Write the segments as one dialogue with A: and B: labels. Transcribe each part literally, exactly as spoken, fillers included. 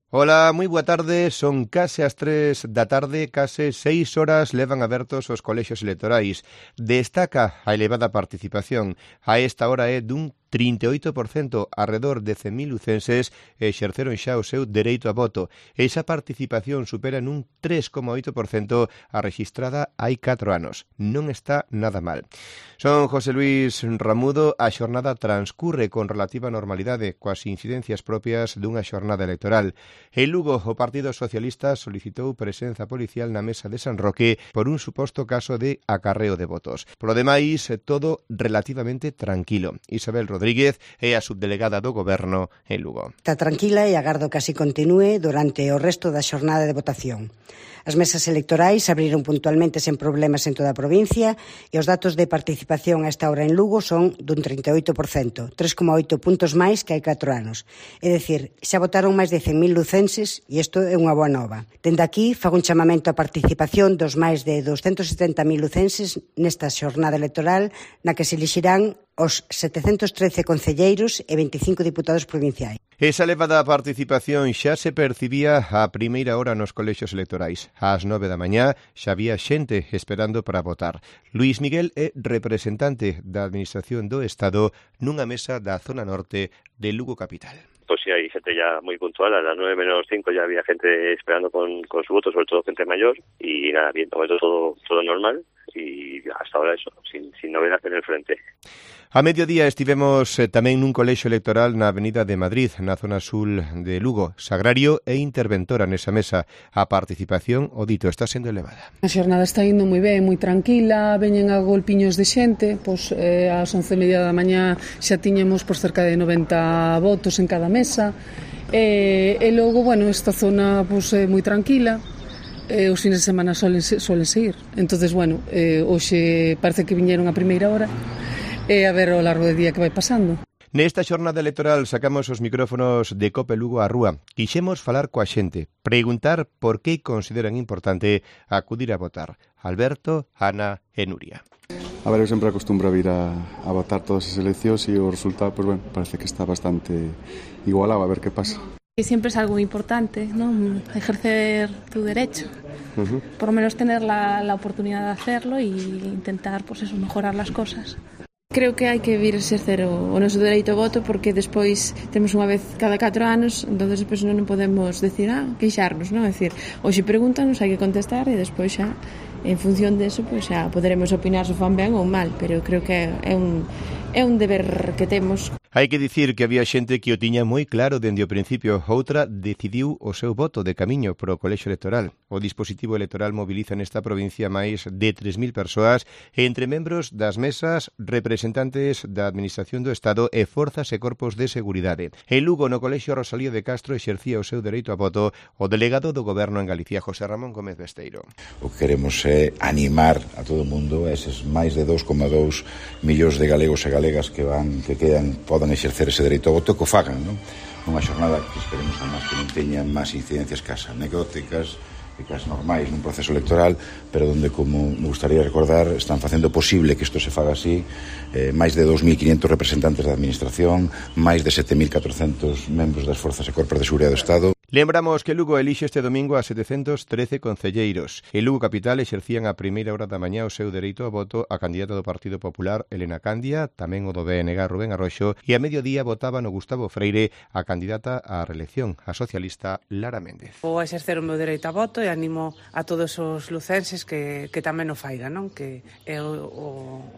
A: Ola, moi boa tarde, son case as tres da tarde, case seis horas levan abertos os colexios electorais. Destaca a elevada participación, a esta hora é dun trinta e oito por cento, arredor de cen mil lucenses exerceron xa o seu dereito a voto. Esa participación supera nun tres coma oito por cento a rexistrada hai catro anos. Non está nada mal. Son José Luis Ramudo, a xornada transcurre con relativa normalidade, coas incidencias propias dunha xornada electoral. En Lugo, o Partido Socialista solicitou presenza policial na mesa de San Roque por un suposto caso de acarreo de votos. Polo demais, todo relativamente tranquilo. Isabel Rodríguez é a subdelegada do Goberno en Lugo.
B: Está tranquila e agardo que así continúe durante o resto da xornada de votación. As mesas electorais abriron puntualmente sen problemas en toda a provincia e os datos de participación a esta hora en Lugo son dun trinta e oito por cento, tres coma oito puntos máis que hai catro anos. É dicir, xa votaron máis de cen mil lucenses e isto é unha boa nova. Dende aquí, fago un chamamento á participación dos máis de douscentos setenta mil lucenses nesta xornada electoral na que se elixirán os setecentos trece concelleiros e veinticinco diputados provinciais.
A: Esa elevada participación xa se percibía a primeira hora nos colexios electorais. Ás nove da mañá xa había xente esperando para votar. Luís Miguel é representante da Administración do Estado nunha mesa da zona norte de Lugo capital.
C: Pues sí, hay gente ya muy puntual, a las nueve menos cinco ya había gente esperando con, con su voto, sobre todo gente mayor, y nada, bien, todo, todo normal, y hasta ahora eso, sin, sin novedad en el frente.
A: A mediodía estivemos eh, tamén nun colexio electoral na Avenida de Madrid, na zona sul de Lugo. Sagrario e interventora nesa mesa. A participación, o dito, está sendo elevada.
D: A xornada está indo moi ben, moi tranquila, veñen a golpiños de xente, pois eh, ás once e media da mañá xa tiñemos por cerca de noventa votos en cada mesa, e, e logo, bueno, esta zona pois, é moi tranquila, e os fines de semana solen, solen seguir. Entonces, bueno, eh, hoxe parece que viñeron a primeira hora, e a ver ao largo do día que vai pasando.
A: Nesta xornada electoral sacamos os micrófonos de Cope Lugo á rúa. Quixemos falar coa xente, preguntar por que consideran importante acudir a votar. Alberto, Ana e Nuria.
E: A ver, eu sempre acostumbro a vir a, a votar todas as eleccións e o resultado, pues, bueno, parece que está bastante igualado, a ver que pasa.
F: Y siempre es algo importante, ¿no? Ejercer tu derecho.
E: Uh-huh.
F: Por lo menos tener la, la oportunidad de hacerlo y intentar, pues eso, mejorar las cosas.
G: Creo que hai que vir a exercer o, o noso dereito ao voto, porque despois temos unha vez cada catro anos, entonces despois non podemos decir, ah, queixarnos, non? É dicir, hoxe pregúntanos, hai que contestar e despois xa, en función deso, pois xa poderemos opinar se fan ben ou mal, pero creo que é un, é un deber que temos.
A: Hai que dicir que había xente que o tiña moi claro dende o principio. Outra decidiu o seu voto de camiño pro colexio electoral. O dispositivo electoral moviliza nesta provincia máis de tres mil persoas entre membros das mesas, representantes da Administración do Estado e forzas e corpos de seguridade. En Lugo, no colexio Rosalío de Castro, exercía o seu dereito a voto o delegado do Goberno en Galicia, José Ramón Gómez Besteiro.
H: O que queremos é animar a todo o mundo, a eses máis de dous coma dous millóns de galegos e galegas que van que quedan podan exercer ese dereito ao voto, que o fagan, non? Unha xornada que esperemos además que non teña máis incidencias que as anecdóticas e que as normais nun proceso electoral, pero onde, como me gustaría recordar, están facendo posible que isto se faga así, eh, máis de dous mil quinhentos representantes da Administración, máis de sete mil catrocentos membros das Forzas e Corpos de Seguridade do Estado.
A: Lembramos que Lugo elixe este domingo a setecentos trece concelleiros. En Lugo capital exercían a primeira hora da mañá o seu dereito a voto a candidata do Partido Popular, Elena Candia, tamén o do B N G, Rubén Arroxo, e a mediodía votaban o Gustavo Freire, a candidata á reelección, a socialista Lara Méndez.
I: Vou exercer o meu dereito a voto e animo a todos os lucenses que, que tamén o faigan, non? Que é o, o,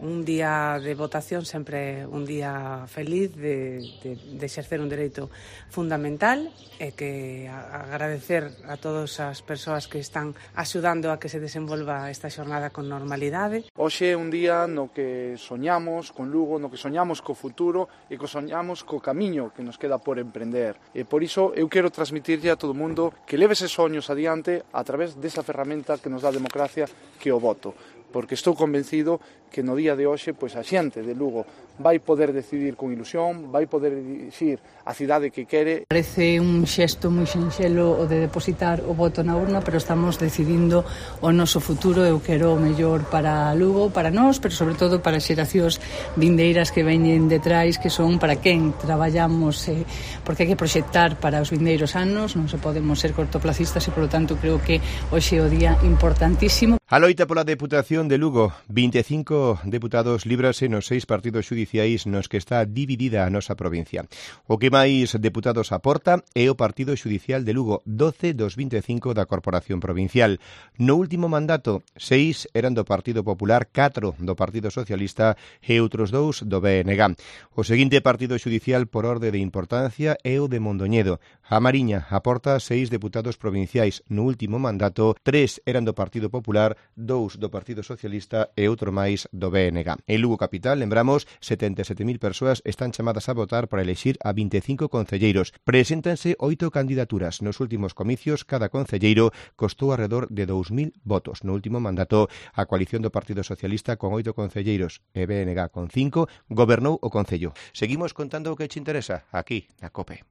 I: un día de votación sempre un día feliz de, de, de exercer un dereito fundamental e que agradecer a todas as persoas que están axudando a que se desenvolva esta xornada con normalidade.
J: Hoxe é un día no que soñamos con Lugo, no que soñamos co futuro e que soñamos co camiño que nos queda por emprender. E por iso eu quero transmitirlle a todo o mundo que leve eses soños adiante a través desa ferramenta que nos dá a democracia, que é o voto, porque estou convencido que no día de hoxe pois a xente de Lugo vai poder decidir con ilusión, vai poder dicir a cidade que quere.
K: Parece un xesto moi sinxelo o de depositar o voto na urna, pero estamos decidindo o noso futuro. Eu quero o mellor para Lugo, para nós, pero sobre todo para as xeracións vindeiras que veñen detrás, que son para quen traballamos, eh, porque hai que proxectar para os vindeiros anos, non se podemos ser cortoplacistas e, polo tanto, creo que hoxe é o día importantísimo.
A: A loita pola Deputación de Lugo, vinte e cinco deputados líbrase nos seis partidos xudiciais nos que está dividida a nosa provincia. O que máis deputados aporta é o Partido Xudicial de Lugo, doce dos vinte e cinco da Corporación Provincial. No último mandato, seis eran do Partido Popular, catro do Partido Socialista e outros dous do B N G. O seguinte partido xudicial por orde de importancia é o de Mondoñedo. A Mariña aporta seis deputados provinciais. No último mandato, tres eran do Partido Popular, dous do Partido Socialista e outro máis do B N G. En Lugo Capital, lembramos, setenta e sete mil persoas están chamadas a votar para elexir a vinte e cinco concelleiros. Preséntanse oito candidaturas. Nos últimos comicios, cada concelleiro costou alrededor de dous mil votos. No último mandato, a coalición do Partido Socialista con oito concelleiros e B N G con cinco gobernou o concello. Seguimos contando o que che interesa aquí na COPE.